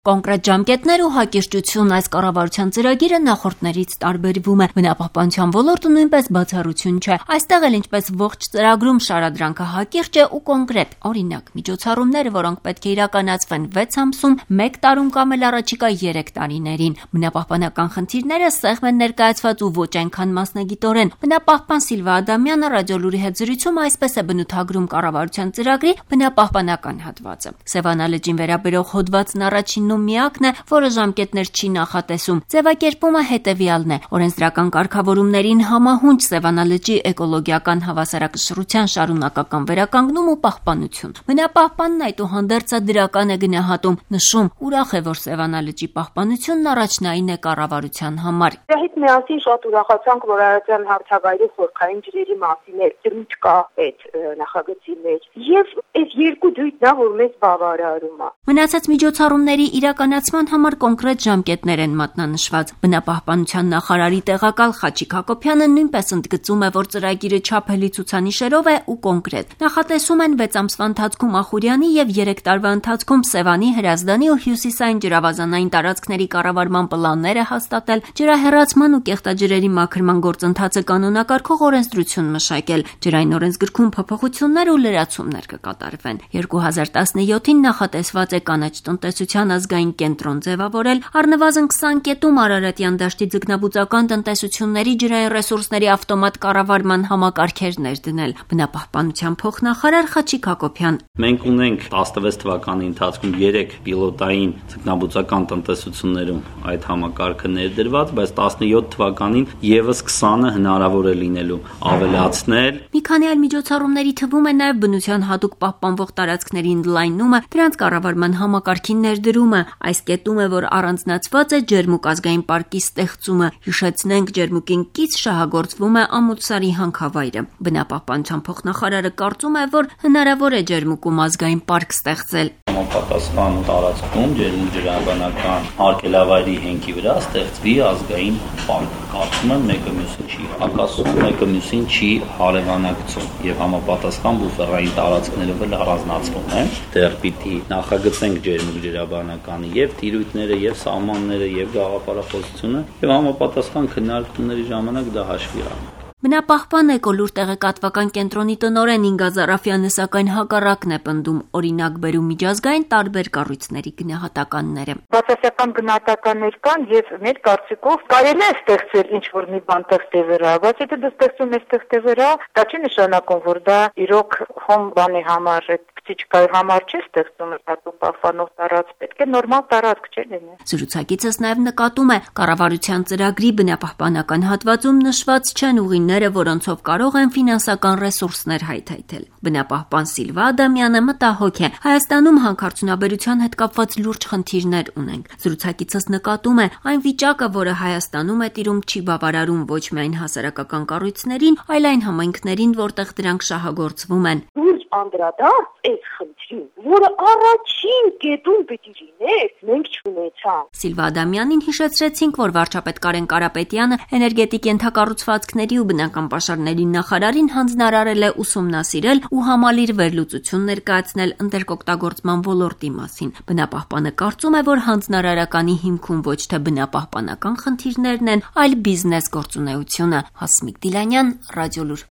Կոնկրետ ժամկետներ ու հակիրճություն այս կառավարության ծրագիրը նախորդներից տարբերվում է։ Բնապահպանության ոլորտը նույնպես բացառություն չէ։ Այստեղ էլ ինչպես ողջ ծրագրում շարադրանքը հակիրճ է ու կոնկրետ, օրինակ, միջոցառումները, որոնք պետք է իրականացվեն 6 ամսում, 1 տարում կամ էլ առաջիկա 3 տարիներին։ Բնապահպանական խնդիրները սեղմ են ներկայացված ու ոչ այնքան մասնագիտորեն։ Բնապահպան Սիլվա Ադամյանը Ռադիոլուրի հետ զրույցում այսպես է բնութագրում կառավարության ծրագրի բնապահպանական հատվածը։ Սևանա լճին վերաբերող հոդվածն առաջին միակն է, որը ժամկետներ չի նախատեսում։ Ձևակերպումը հետևյալն է. օրենսդրական կարգավորումներին համահունչ Սևանա լճի էկոլոգիական հավասարակշռության շարունակական վերականգնում ու պահպանություն։ Բնապահպանն այդուհանդերձ դրական է գնահատում, նշում, ուրախ է, որ Սևանա լճի պահպանությունն առաջնային է կառավարության համար։ Դրա հետ միասին շատ ուրախացանք, որ Արարատյան հարթավայրի խորքային ջրերի մասին դրույթ կա այդ նախագծի մեջ։ Եվ այս երկու դրույթն է, որ մեզ բավարարում է։ Մնացած միջոցառումների իրականացման համար կոնկրետ ժամկետներ են մատնանշված։ Բնապահպանության նախարարի տեղակալ Խաչիկ Հակոբյանը նույնպես ընդգծում է, որ ծրագիրը չափելի ցուցանիշերով է ու կոնկրետ։ Նախատեսում են 6 ամսվա ընթացքում Ախուրյանի եւ 3 տարվա ընթացքում Սևանի, Հրազդանի ու Հյուսիսային ջրավազանային տարածքների կառավարման պլանները հաստատել, ջրահեռացման ու կեղտաջրերի մաքրման գործընթացը կանոնակարգող օրենսդրություն մշակել, ջրային օրենսգրքում փոփոխություններ ու լրացումներ կկատարվեն։ 2017-ին նախատեսված է կանաչ տնտեսության ազգային կենտրոն ձևավորել, առնվազն 20 կետում Արարատյան դաշտի ձկնաբուծական տնտեսությունների ջրային ռեսուրսների ավտոմատ կառավարման համակարգերներ դնել։ Բնապահպանության փոխնախարար Խաչիկ Հակոբյան. Մենք ունենք 16 թվականի ընթացքում 3 պիլոտային ձկնաբուծական տնտեսություններում այդ համակարգը ներդրված, բայց 17 թվականին եւս 20-ը հնարավոր է լինելու ավելացնել։ Մի քանի այլ միջոցառումների թվում է նաև բնության հատուկ պահպանվող տարածքների ընդլայնումը, դրանց կառավարման համակարգի ներդրումը։ Այս կետում է, որ առանձնացված է Ջերմուկ ազգային պարկի ստեղծումը։ Հիշեցնենք, Ջերմուկին կից շահագործվում է Ամուլսարի հանքավայրը։ Բնապահպանության փոխնախարարը կարծում է, որ հնարավոր է Ջերմուկում ազգային պարկ ստեղծել։ Համապատասխան տարածքում Ջերմուկ ջրաբանական արգելավայրի հենքի վրա ստեղծվի ազգային պարկ։ Կարծում եմ մեկը մյուսին չի հակասում, մեկը մյուսին չի հարևանակցում եւ համապատասխան բուֆերային տարածքներով էլ առանձնացվում են։ Դեռ պիտի նախագծենք Ջերմուկ ջրաբանականի եւ տիրույթները եւ սահմանները եւ գաղափարախոսությունը եւ համապատասխան քննարկումների ժամանակ դա հաշվի առնենք։ Բնապահպան էկոլուր տեղեկատվական կենտրոնի տնօրեն Ինգա Զարաֆյանը սակայն հակառակն է պնդում, օրինակ բերում միջազգային տարբեր կառույցների գնահատականները։ Բացասական գնահատականներ կան եւ մեր կարծիքով կարելի է ստեղծել ինչ-որ մի բան տեխստի վրա, բայց եթե դա ստեղծում ես տեխստի վրա, դա չի նշանակում, որ դա իրոք հոմ բանի համար Չկայի համար չի ստեղծում հատուկ պահպանող տարածք, պետք է նորմալ տարածք չէ լինի։ Զրուցակիցս նաև նկատում է, կառավարության ծրագրի բնապահպանական հատվածում նշված չեն ուղիները, որոնցով կարող են ֆինանսական ռեսուրսներ հայթայթել։ Բնապահպան Սիլվա Ադամյանը մտահոգ է։ Հայաստանում հանքարդյունաբերության հետ կապված լուրջ խնդիրներ ունենք։ Զրուցակիցս նկատում է, այն վիճակը, որը Հայաստանում է տիրում, չի բավարարում ոչ միայն հասարակական կառույցներին, այլ այն համայնքներին, որտեղ դրանք շահագործվում են։ Անդրադարձ այս խնդրին, որը առաջին կետում պիտի լիներ, մենք չունեցանք։ Սիլվա Ադամյանին հիշեցրեցինք, որ վարչապետ Կարեն Կարապետյանը էներգետիկ ենթակառուցվածքների ու բնական պաշարների նախարարին հանձնարարել է ուսումնասիրել ու համալիր վերլուծություն ներկայացնել ընտերկօգտագործման ոլորտի մասին։ Բնապահպանը կարծում է, որ հանձնարարականի հիմքում ոչ թե բնապահպանական խնդիրներն են, այլ բիզնես գործունեությունը։ Հասմիկ Դիլանյան, Ռադիոլուր։